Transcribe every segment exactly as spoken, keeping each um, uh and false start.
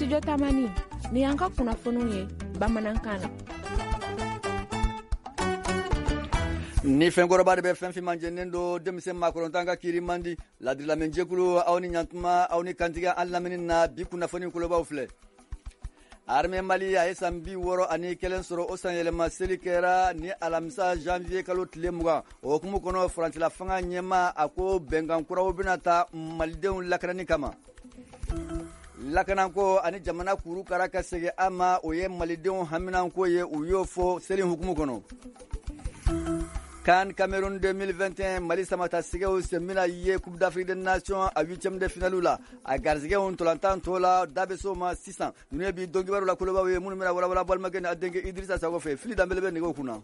Studio Tamani, ni y'an ka kunnafoniw ye bamanankan na. Ni fɛnkɔrɔba de bɛ fɛn finman jɛnen don, denmisɛn maakɔrɔntan ka kiiri man di. Ladirilamɛnjɛkulu, aw ni ɲantuma, aw ni kantigɛ an lamini na. Bi kunnafoni kolobaw filɛ. Armée Mali a ye san bi wɔɔrɔ ani kelen sɔrɔ. O san yɛlɛma seli kɛra ni alamisa janvier kalo tile mugan. O hukumu kɔnɔ, furancɛla fanga ɲɛma a ko bɛnkan kuraw bɛna ta malidenw lakanani kama. Lakanako ani jamana kuru kara ka segin a ma, o ye malidenw haminanko ye, u y'o fɔ seli hukumu kɔnɔ. CAN Cameroun deux mille vingt et un, Mali samata sɛgɛw sen bɛna ye Coupe d'Afrique des Nations a huitième de finale la. A garisɛgɛw ntolantan tɔ la, da bɛ s'o ma sisan. Ninnu ye bi don kibaru la kolobaw ye minnu bɛna walawala balimakɛ ni a denkɛ Idrissa Sago fɛ. Fili Danbele bɛ nɛgɛw kunna.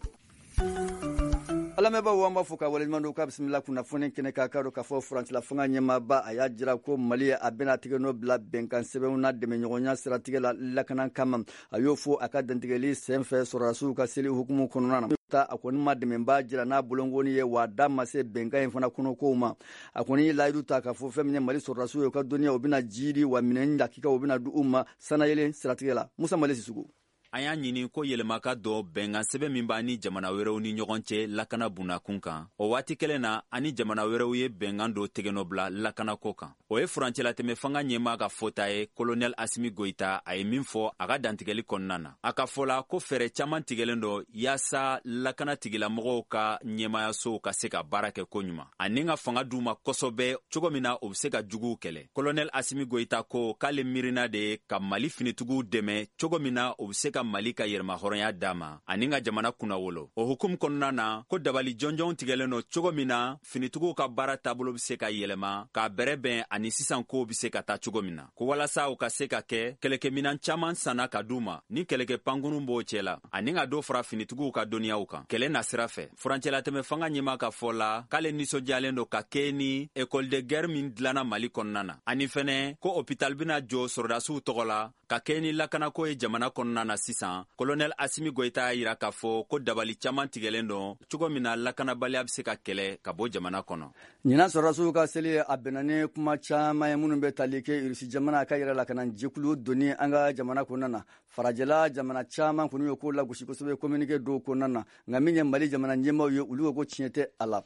Alamɛnbaaw, an b'a fɔ ka waleɲuman don k'a bisimila kunnafoni kɛnɛ k'a ka dɔn k'a fɔ furancɛla fanga ɲɛmaaba a y'a jira ko Mali a bɛna tigɛ nɔ bila bɛnkan sɛbɛnw na dɛmɛɲɔgɔnya siratigɛ la lakana kama. A y'o fɔ a ka dantigɛli sen fɛ sɔrɔdasiw ka seli hukumu kɔnɔna na. Ta a kɔni ma dɛmɛba jira n'a bolonkɔni ye, wa da ma se bɛnkan in fana kɔnɔkow ma. A kɔni ye layidu ta k'a fɔ fɛn min ye Mali sɔrɔdasiw ye, u ka dɔnniya u bɛna jiidi wa minɛn lakikaw u bɛna di u ma sanayɛlɛ siratigɛ la. Musa Mali Sisugu. An y'a ɲini ko yɛlɛma ka dɔ bɛnkan sɛbɛn min b'a ni jamana wɛrɛw ni ɲɔgɔn cɛ lakana bunakun kan. O waati kelen na, ani jamana wɛrɛw ye bɛnkan dɔ tigɛnɔ bila lakanako kan. O ye furancɛlatɛmɛ fanga ɲɛma ka fɔta ye, Kolonɛl Asimi Goyita. A ye min fɔ a ka dantigɛli kɔnɔna na, a ka fɔ la ko fɛɛrɛ caaman tigɛlen dɔ yaasa lakana tigilamɔgɔw ka ɲɛmayasow ka se ka baara kɛ koɲuman ani ka fanga d'u ma kosɔbɛ, cogo min na u be se ka juguw kɛlɛ. Kolonɛl Asimi Goyita ko k'ale miirina de ye ka Mali finitigiw dɛmɛ, cogo min na u be se ka Mali ka yɛrɛmahɔrɔnya d'a ma ani ka jamana kunnawolo. O hukumu kɔnɔna na, ko dabali jɔnjɔn tigɛlen don, cogo min na finitigiw ka baara taabolo be se ka yɛlɛma k'a bɛrɛ bɛn ani sisan kow be se ka taa cogo min na, ko walasa u ka se ka kɛ kɛlɛkɛminan caaman sanna ka d'u ma, ni kɛlɛkɛ pankurun b'o cɛ la, ani ka dɔ fara finitigiw ka dɔnniyaw kan kɛlɛ na sira fɛ. Furancɛlatɛmɛ fanga ɲɛma ka fɔ la k'ale ninsɔndiyalen don ka kɛ ni école de guerre min dilanna Mali kɔnɔna na, ani fɛnɛ ko hôpital bena jɔ sɔrɔdasiw tɔgɔ la ka kɛ ni lakanako ye jamana kɔnɔna na sisan. Kolonɛl Asimi Goyita y'a yira k'a fɔ ko dabali caaman tigɛlen don, cogo min na lakanabaliya be se ka kɛlɛ ka bɔ jamana kɔnɔ. Ɲinan sɔrɔdasiw ka seli a bɛnna ni kuma caman ye minnu bɛ tali kɛ Irisi jamana ka yɛrɛ lakana jɛkulu donni an ka jamana kɔnɔna na. Farajɛla jamana caman kɔni ye ko lagosi kosɛbɛ communiqué dɔw kɔnɔna na, nka min ye Mali jamana ɲɛmaaw ye, olu ko ko tiɲɛ tɛ a la.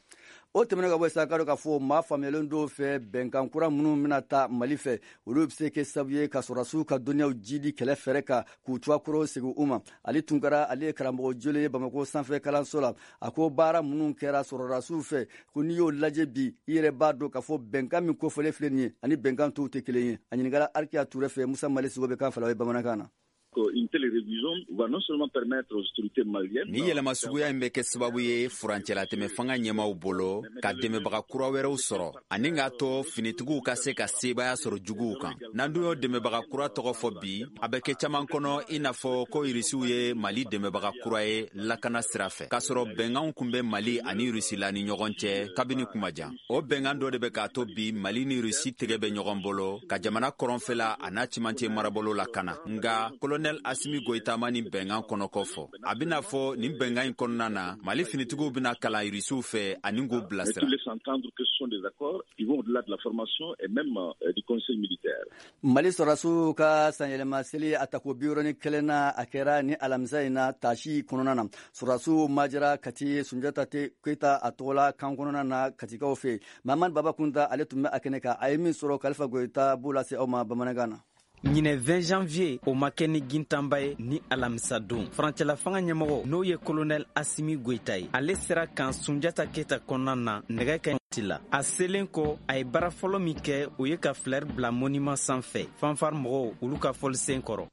O tɛmɛnen ka bɔ sa, ka dɔn k'a fɔ maa faamuyalen dɔw fɛ, bɛnkan kura minnu bɛna ta Mali fɛ, olu bɛ se kɛ sababu ye ka sɔrɔdasiw ka dɔnniyaw jidi kɛlɛ fɛrɛ kan, k'u cogoya kɔrɔw segin u ma. Ali Tunkara, ale ye karamɔgɔ jolen ye Bamakɔ sanfɛ kalanso la. A ko baara minnu kɛra sɔrɔdasiw fɛ, ko n'i y'o lajɛ bi, i yɛrɛ b'a dɔn k'a fɔ bɛnkan min kofɔlen filɛ nin ye ani bɛnkan tɔw tɛ kelen ye. A ɲininkara Arikiya Ture fɛ. Musa Mali Sigo bɛ kan fila ye bamanankan na. Une telle révision va non seulement permettre aux autorités maliennes. Ni yɛlɛma suguya in bɛ kɛ sababu ye furancɛlatɛmɛ fanga ɲɛmaw bolo ka dɛmɛbaga kura wɛrɛw sɔrɔ ani k'a to finitigiw ka se ka sebaaya sɔrɔ juguw kan. N'an dun y'o dɛmɛbaga kura tɔgɔ fɔ bi, a bɛ kɛ caman kɔnɔ i n'a fɔ ko Irisiw ye Mali dɛmɛbaga kura ye lakana sira fɛ, k'a sɔrɔ bɛnkanw kun bɛ Mali ani Irisi la ni ɲɔgɔn cɛ kabini kuma jan. O bɛnkan dɔ de bɛ k'a to bi Mali ni Irisi tɛgɛ bɛ ɲɔgɔn bolo ka jamana kɔrɔnfɛla a n'a cɛmancɛ marabolo lakana. Nga Kolonɛl Asimi Goyita ma nin bɛnkan kɔnɔkɔ fɔ. A bɛna fɔ nin bɛnkan in kɔnɔna na, Mali finitigiw bɛna kalan Irisiw fɛ ani k'u bilasira. Mais tout laisse entendre que ce sont des accords qui vont au-delà de la formation et même euh, du conseil militaire. Mali sɔrɔdasiw ka sanyɛlɛma seli a tako bi wɔɔrɔ ni kelen na, a kɛra ni alamisa in na tasi kɔnɔna na. Sɔrɔdasiw majara Kati Sunjata Keyita a tɔgɔla kan kɔnɔna na Katikaw fɛ. Mamadu Baba Kunta, ale tun bɛ a kɛnɛ kan. A ye min sɔrɔ, Kalifa Goyita b'o lase aw ma bamanankan na. Ɲinɛ vingt janvier, o ma kɛ ni gintanba ye ni alamisa don. Furancɛla fanga ɲɛmɔgɔ, n'o ye Kolonɛl Asimi Goyita ye, ale sera kan Sunjata Keta kɔnɔna na nɛgɛ kɛ la. A selen kɔ, a ye baara fɔlɔ min kɛ, o ye ka fleur bila monument sanfɛ, fanfare mɔgɔw olu ka fɔlisen kɔrɔ.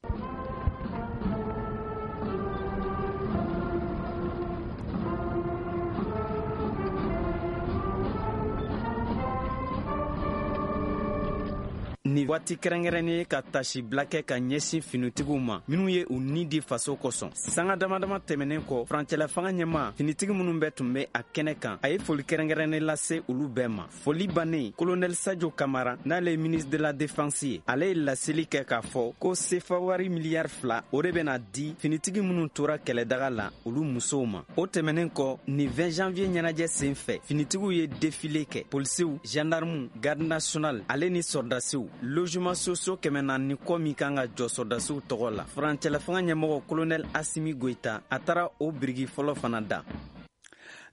Nin waati kɛrɛnkɛrɛnnen ye ka tasibila kɛ ka ɲɛsin finitigiw ma minw ye u ni di faso kosɔn. Sanga dama dama tɛmɛnen kɔ, furancɛla fanga ɲɛma, finitigi minnu bɛɛ tun bɛ a kɛnɛ kan, a ye foli kɛrɛnkɛrɛnnen lase olu bɛɛ ma. Foli bannen, Kolonɛl Sajo Kamara, n'ale ye ministre de la Défense ye, ale ye laseli kɛ k'a fɔ ko sefa wari miliyari fila, o de bɛna di finitigi minnu tora kɛlɛdaga la, olu musow ma. O tɛmɛnen kɔ, nin vingt janvier ɲɛnajɛ sen fɛ, finitigiw ye défilé kɛ. Polisiw, gendarmew, garde nationale ale ni sɔrdasiw. Logement sociaux kɛmɛ naani kɔ min kan ka jɔ sɔrɔdasiw tɔgɔ la, furancɛlafanga ɲɛmɔgɔ Colonel Assimi Goïta, a taara o biriki fɔlɔ fana da.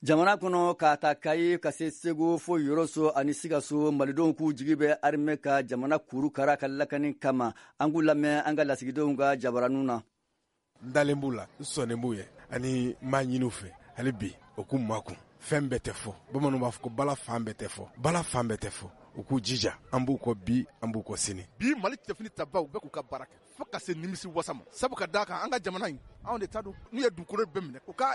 Jamana kɔnɔ, ka ta Kayi ka se Segu fo Yoroso ani Sikaso, malidenw k'u jigi bɛ armée ka jamana kuru kara ka lakani kama. An k'u lamɛn an ka lasigidenw ka jabaraninw na. N dalen b'u la, n sɔnnen b'u ye, ani n b'a ɲini u fɛ hali bi u k'u makun. Fɛn bɛɛ tɛ fɔ, bamananw b'a fɔ ko bala fan bɛɛ tɛ fɔ, bala fan bɛɛ tɛ fɔ. U k'u jija, an b'u kɔ bi, an b'u kɔ sini. Bi Mali cɛfini tabaw bɛɛ k'u ka baara kɛ fo ka se nimisi wasa ma, sabu ka d'a kan an ka jamana in, anw de ta don. N'u ye dugukolo bɛɛ minɛ, u ka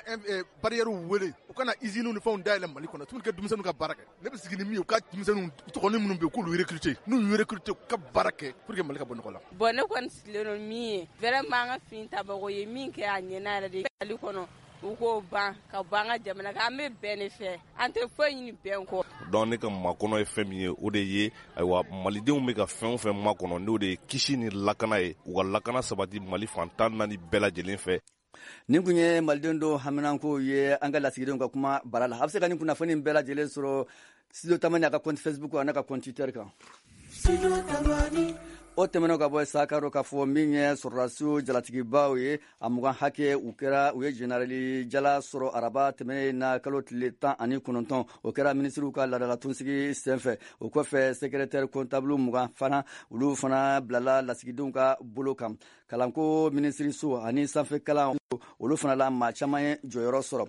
barrières wele, u ka na usines ni fɛnw dayɛlɛ Mali kɔnɔ tuguni, ka denmisɛnninw ka baara kɛ. Ne bɛ sigi ni min ye, u ka denmisɛnninw tɔgɔnin minnu bɛ yen, k'olu recruter. N'u y'u recruter, u ka baara kɛ pour que Mali ka bɔ nɔgɔ la. Bon, ne kɔni sigilen don min ye, vraiment, an ka fini tabagaw ye min kɛ, a ɲɛna yɛrɛ de. Mali kɔnɔ, u k'o ban ka bɔ an ka jamana kan. An bɛ bɛn de fɛ, an tɛ foyi ɲini bɛn kɔ. Donc ne ka makɔnɔ ye fɛn min ye, o de ye, ayiwa, malidenw bɛ ka fɛn o fɛn makɔnɔ, n'o de ye kisi ni lakana ye, u ka lakana sabati Mali fan tan naani bɛɛ lajɛlen fɛ. Nin kun ye maliden dɔw haminankow ye an ka lasigidenw ka kuma bara la. A bɛ se ka nin kunnafoni bɛɛ lajɛlen sɔrɔ Studio Tamani a ka compte Facebook a n'a ka compte Twitter kan. O tɛmɛnen ka bɔ sa, ka k'a fɔ min ye sɔrɔdasiw jalatigibaw ye, a mugan hakɛ, u kɛra u ye generali jala sɔrɔ araba tɛmɛnen na, kalo tile tan ani kɔnɔntɔn. O kɛra minisiriw ka ladalatunsigi senfɛ. O kɔfɛ, secrétaire comptable mugan fana, olu fana bilala lasigidenw ka bolo kan. Kalanko minisiriso ani sanfɛ kalan, olu fana la, maa caman ye jɔyɔrɔ sɔrɔ.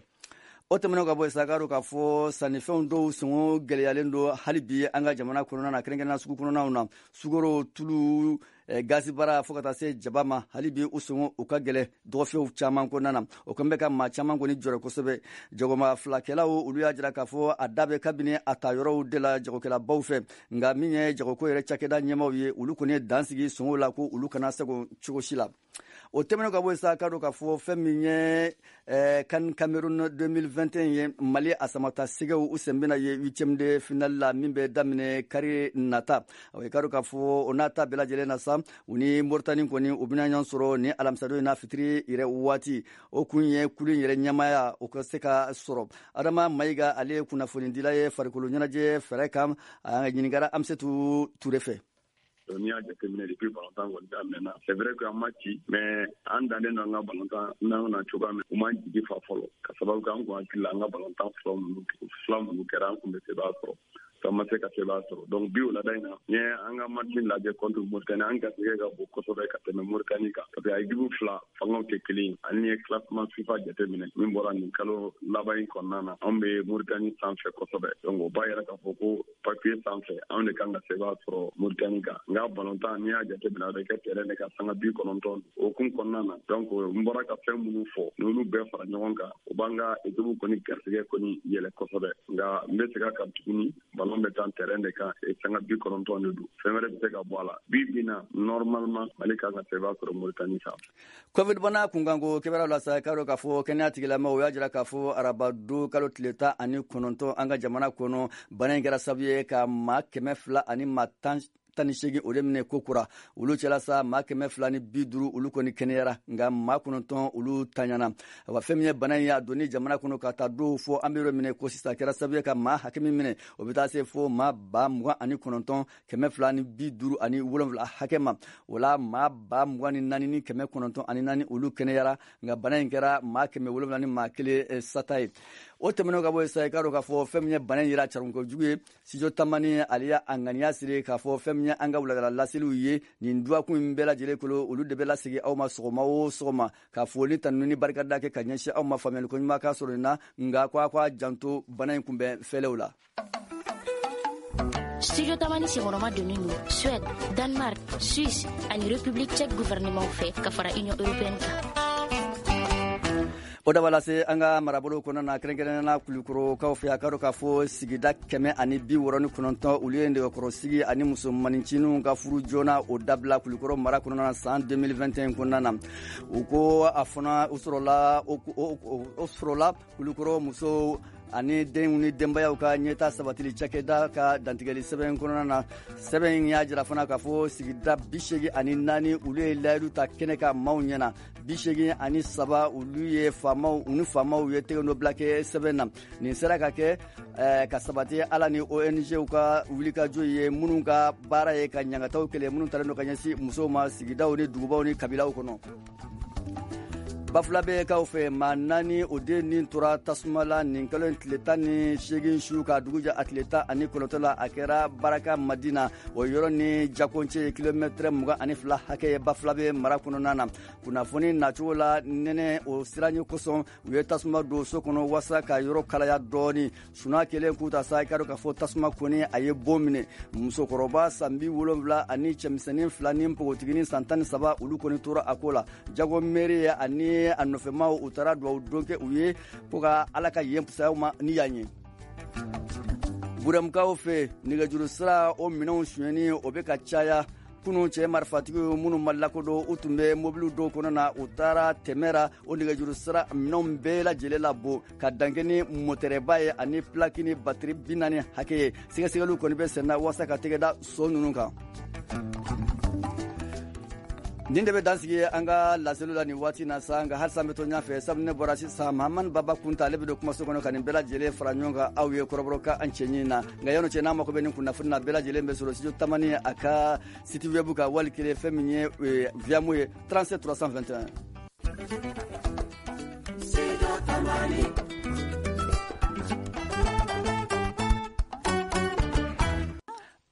O tɛmɛnen ka bɔ sa, k'a k'a fɔ sannifɛnw dɔw sɔngɔ gɛlɛyalen don hali bi an ka jamana kɔnɔna na, kɛrɛnkɛrɛnnenya sugu kɔnɔnaw na. Sukaro, tulu, gazibara, fo ka taa se jaba ma, hali bi u sɔngɔ u ka gɛlɛ dɔgɔfɛnw caman kɔnɔna na. O kɔni bɛ ka maa caman kɔni jɔrɔ kosɛbɛ. Jagoma filakɛlaw, olu y'a jira k'a fɔ a da bɛ kabini a ta yɔrɔw de la jagokɛlabaw fɛ. Nka min ye jagoko yɛrɛ cakɛda ɲɛmaw ye, olu kɔni ye dan sigi sɔngɔw la ko olu kana sago cogo si la. O tɛmɛnen ka bɔ sa, k'a dɔn k'a fɔ fɛn min ye CAN Cameroun deux mille vingt et un ye, Mali a samata sɛgɛw u sen bɛna ye huitième de finale la min bɛ daminɛ kari nata. O ye k'a dɔn k'a fɔ o n'a ta bɛɛ lajɛlen na sa, u ni Moritani kɔni u bɛna ɲɔgɔn sɔrɔ ni alamisadon in na fitiri yɛrɛ waati. O kun ye kulu in yɛrɛ ɲɛmaya o ka se ka sɔrɔ. Adama Mayiga, ale ye kunnafonidila ye farikolo ɲɛnajɛ fɛɛrɛ kan, a ɲininkara Amisetu Ture fɛ. N'i y'a jateminɛ, depuis balontan kɔni daminɛna, c'est vrai que an ma ci, mais an dannen don an ka balontan n'an na cogoya min, u m'an jigi fa fɔlɔ, ka sababu kɛ an kun hakili la, an ka balontan fɔlɔ minnu fila minnu kɛra, an kun bɛ sebaya sɔrɔ, an ma se ka sebaya sɔrɔ. Donc bi wulada in na, n ye an ka match lajɛ contre Mauritanie, an garisɛgɛ ka bon kosɛbɛ ka tɛmɛ Mauritanie kan, parce que a équipe fila fangaw tɛ kelen ye. Ani ye classement FIFA jateminɛ min bɔra nin kalo laban in kɔnɔna na, anw bɛ Mauritanie sanfɛ kosɛbɛ. Donc o b'a yira k'a fɔ ko papier sanfɛ, anw de kan ka sebaya sɔrɔ Mauritanie kan. Nka balontan, n'i y'a jateminɛ, a bɛ kɛ terrain de kan sanga bi kɔnɔntɔn. O hukumu kɔnɔna na, donc n bɔra ka fɛn minnu fɔ, n'olu bɛɛ fara ɲɔgɔn kan, o b'an ka équipe kɔni garisɛgɛ kɔni yɛlɛ kosɛbɛ. Nka n bɛ segin a kan tuguni, ballon bɛ taa terrain de kan, sanga bi kɔnɔntɔn de don, fɛn wɛrɛ bɛ se ka bɔ a la. Bi bi na, normalement Mali kan ka sebaya sɔrɔ Mauritanie sanfɛ. Covid bana kunkanko kibaruyaw la sa, k'a dɔn k'a fɔ kɛnɛya tigilamɔgɔw y'a jira k'a fɔ arabado kalo tile tan ani kɔnɔntɔn, an ka jamana kɔnɔ, bana in kɛra sababu ye ka maa kɛmɛ fila ani maa tan tan ni seegin o de minɛ ko kura. Olu cɛla sa, maa kɛmɛ fila ni bi duuru, olu kɔni kɛnɛyara, nka maa kɔnɔntɔn, olu taɲana. Wa fɛn min ye bana in ye a donni jamana kɔnɔ ka taa dɔw fɔ an bɛ yɔrɔ minɛ ko sisan, kɛra sababu ye ka maa hakɛ min minɛ, o bɛ taa se fo maa ba mugan ani kɔnɔntɔn kɛmɛ fila ni bi duuru ani wolonwula hakɛ ma. O la, maa ba mugan ni naani ni kɛmɛ kɔnɔntɔn ani naani, olu kɛnɛyara, nka bana in kɛra maa kɛmɛ wolonwula ni maa kelen sata ye. O tɛmɛnen ka bɔ yen sa, i k'a dɔn k'a fɔ fɛn min ye bana in yɛrɛ carinko jugu ye, Studio Tamani ale y'a ŋaniya siri k'a fɔ fɛn min ye an ka wuladala laseliw ye nin dɔgɔkun in bɛɛ lajɛlen kolo, olu de bɛ lasegin aw ma sɔgɔma o sɔgɔma, ka foli, tanuni ni barikada kɛ ka ɲɛsin aw ma, faamuyali ko ɲuman ka sɔrɔ nin na. Nka ko a k'a janto bana in kunbɛn fɛlɛw la. Studio Tamani senkɔrɔma donnen don Suède, Danemark, Suisse ani République tchèque gouvernement fɛ ka fara Union européenne kan. O daba lase an ka marabolo kɔnɔna na, kɛrɛnkɛrɛnnenya la Kulukorokaw fɛ, a ka dɔn k'a fɔ sigida kɛmɛ ani bi wɔɔrɔ ni kɔnɔntɔn, olu ye nɛgɛkɔrɔsigi ani musomanintinin ka furu joona o dabila Kulukɔrɔ mara kɔnɔna na san deux mille vingt et un kɔnɔna na. U ko a fana o sɔrɔla o sɔrɔla Kulukɔrɔ musow ani denw ni denbayaw ka ɲɛta sabatili cakɛda ka dantigɛli sɛbɛn kɔnɔna na. Sɛbɛn in y'a jira fana k'a fɔ sigida bi seegin ani naani olu ye layidu ta kɛnɛ ka maaw ɲɛna, bi seegin ani saba olu ye faamaw u ni faamaw ye tɛgɛnɔbila kɛ sɛbɛn na. Nin sera ka kɛ eh, ka sabati ala ni O N G ka wulikajɔ ye minnu ka baara ye ka ɲangataw kɛlɛ minnu talen don ka ɲɛsin musow ma sigidaw ni dugubaw ni kabilaw kɔnɔ. Bafulabɛkaw fɛ maa naani o den nin tora tasuma la nin kalo in tile tan ni seegin su ka dugu jɛ a tile tan ani kɔnɔntɔn la. A kɛra Baraka Madina, o yɔrɔ ni Jakoncɛ ye kilomɛtɛrɛ mugan ani fila hakɛ ye Bafulabɛ mara kɔnɔna na. Kunnafoni nacogo la nɛnɛ o siranɲɛ kosɔn u ye tasuma don so kɔnɔ walasa ka yɔrɔ kalaya dɔɔni. Suna kelen k'u ta sa, i k'a dɔn k'a fɔ tasuma kɔni a ye bon minɛ. Musokɔrɔba san bi wolonwula ani cɛmisɛnnin fila ni npogotiginin san tan ni saba olu kɔni tora a ko la. Jago meri ani a nɔfɛmaw u taara duwawu don kɛ u ye ko ka Ala ka yen fisaya ma ni yan ye. Burɛmukaw fɛ nɛgɛjuru sira o minɛnw sonyɛni o bɛ ka caya. Kunun cɛ marifatigiw minnu ma lakodɔn u tun bɛ mobiliw dɔw kɔnɔ na, u taara tɛmɛra o nɛgɛjuru sira minɛnw bɛɛ lajɛlen labɔ ka dankɛ ni motɛrɛba ye ani pilaki ni batiri bi naani hakɛ ye. Sɛgɛsɛgɛliw kɔni bɛ senna walasa ka tɛgɛ da so ninnu kan. Nin de bɛ dansigi an ka laseliw la nin waati na sa, nka halisa an bɛ to ɲɛfɛ sabu ne bɔra sisan Mahamani Baba Kunta ale bɛ don kumaso kɔnɔ ka nin bɛɛ lajɛlen fara ɲɔgɔn kan aw ye kɔrɔbɔrɔkan an cɛɲi na. Nka yanni cɛ n'a mako bɛ nin kunnafoni na bɛɛ lajɛlen bɛ sɔrɔ studio Tamani a ka site web kan wali kelen fɛn min ye Viamo ye trente-sept trois cent vingt et un. Studio Tamani.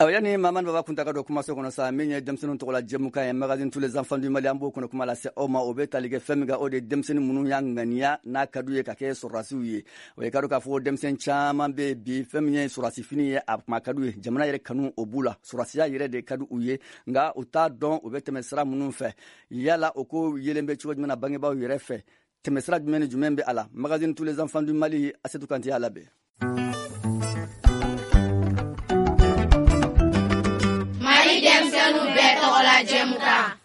Awa yani Mahamani Baba Kunta ka don kumaso kɔnɔ sa, min ye denmisɛnninw tɔgɔla jɛmukan ye magazine tous les enfants du Mali, an b'o kɔnɔ kuma lase aw ma. O bɛ tali kɛ fɛn min kan, o de ye denmisɛnnin minnu y'a ŋaniya n'a ka d'u ye ka kɛ sɔrɔdasiw ye. O ye ka dɔn k'a fɔ denmisɛnnin caman bɛ bi fɛn min ye sɔrɔdasi fini ye a kuma ka d'u ye, jamana yɛrɛ kanu o b'u la, sɔrɔdasiya yɛrɛ de ka di u ye, nka u t'a dɔn u bɛ tɛmɛ sira minnu fɛ. Yala o ko yelen bɛ cogo jumɛn na bangebaaw yɛrɛ fɛ, tɛmɛ sira jumɛn ni jumɛn bɛ a la? Magazine tous les enfants du Mali, Asetu Kante y'a labɛn.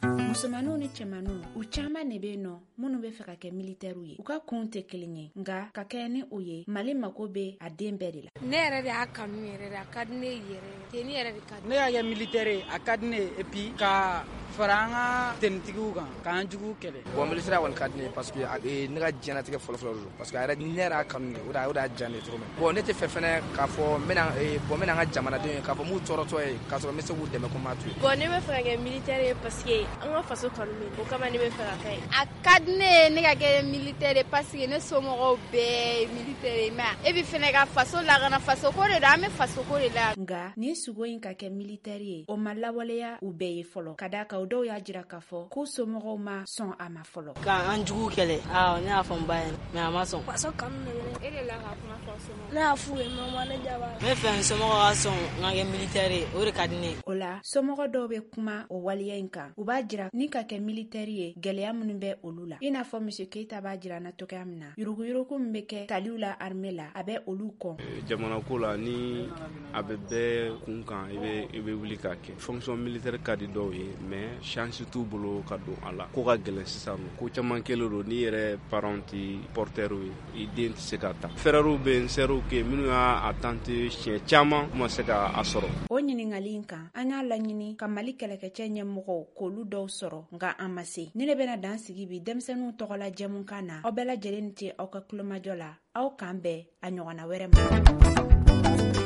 Musomaninw ni cɛmaninw u caman de bɛ yen nɔ minnu bɛ fɛ ka kɛ militɛriw ye. U ka kunw tɛ kelen ye, nka ka kɛ ni o ye Mali mako bɛ a den bɛɛ de la. Ne yɛrɛ de y'a kanu yɛrɛ de, a ka di ne yɛrɛ tenue yɛrɛ de ka di ne. Y'a kɛ militaire ye, a ka di ne ye, et puis ka fara an ka tenitigiw kan k'an juguw kɛlɛ. Bon, militaire kɔni ka di ne ye parce que ne ka diɲɛlatigɛ fɔlɔfɔlɔ don, parce que a yɛrɛ ne yɛrɛ y'a kanu de, o de o de y'a diya ne ye cogo min. Bon, ne tɛ fɛ fɛnɛ k'a fɔ n bɛna bon n bɛna n ka jamanadenw ye k'a fɔ n b'u tɔɔrɔtɔ ye k'a sɔrɔ n bɛ se k'u dɛmɛ ko n m'a to yen. Bon, ne bɛ fɛ ka kɛ militaire ye parce que an ka faso kanu bɛ, o kama ne bɛ fɛ ka kɛ ye. A ka di ne ye ne ka kɛ militaire ye parce que ne somɔgɔw bɛɛ ye militaire ye, mais e bɛ fɛnɛ ka faso lakana, faso ko de don, an bɛ faso ko de la. Nka nin sugo in ka kɛ militaire ye, o ma lawaleya u bɛɛ ye fɔlɔ, ka d'a kan o dɔw y'a jira k'a fɔ k'u somɔgɔw ma sɔn a ma fɔlɔ. K'an jugu kɛlɛ, awɔ, ne y'a fɔ n ba ye, mais a ma sɔn. Faso kanu de bɛ ne. E de la ka kuma fɔ somɔgɔw. Ne y'a f'u ye, mais u ma ne jaabi. N bɛ fɛ n somɔgɔw ka sɔn n ka kɛ militaire ye, o de ka di ne ye. O la somɔgɔ dɔw bɛ kuma o waleya in kan, u b'a jira ni ka kɛ militaire ye gɛlɛya minnu bɛ olu la. I n'a fɔ Monsieur Keita b'a jira na cogoya min na, yuruguyurugu min bɛ kɛ taliw la armée la, a bɛ olu kɔn. Jamana ko la, ni a bɛ bɛɛ kun kan, i bɛ i bɛ wuli k'a kɛ. Fonction militaire ka di dɔw ye, mais chance t'u bolo ka don a la. Ko ka gɛlɛn sisan nɔ, ko caman kɛlen don n'i yɛrɛ parents ti porteur ye, i den tɛ se ka ta. Frères bɛ yen, sœurs kɛ minnu y'a tenter siɲɛ caman, u ma se k'a sɔrɔ. O ɲininkali in kan, an y'a laɲini ka Mali kɛlɛkɛcɛ ɲɛmɔgɔw k'olu dɔw sɔrɔ, nka an ma se. Ni ne bɛna dan sigi bi denmisɛnninw tɔgɔla jɛmukan na, aw bɛɛ lajɛlen ni ce aw ka kulomajɔ la. Aw k'an bɛn a ɲɔgɔnna wɛrɛ ma.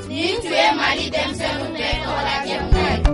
Nin tun ye Mali denmisɛnninw bɛɛ tɔgɔla jɛmukan ye.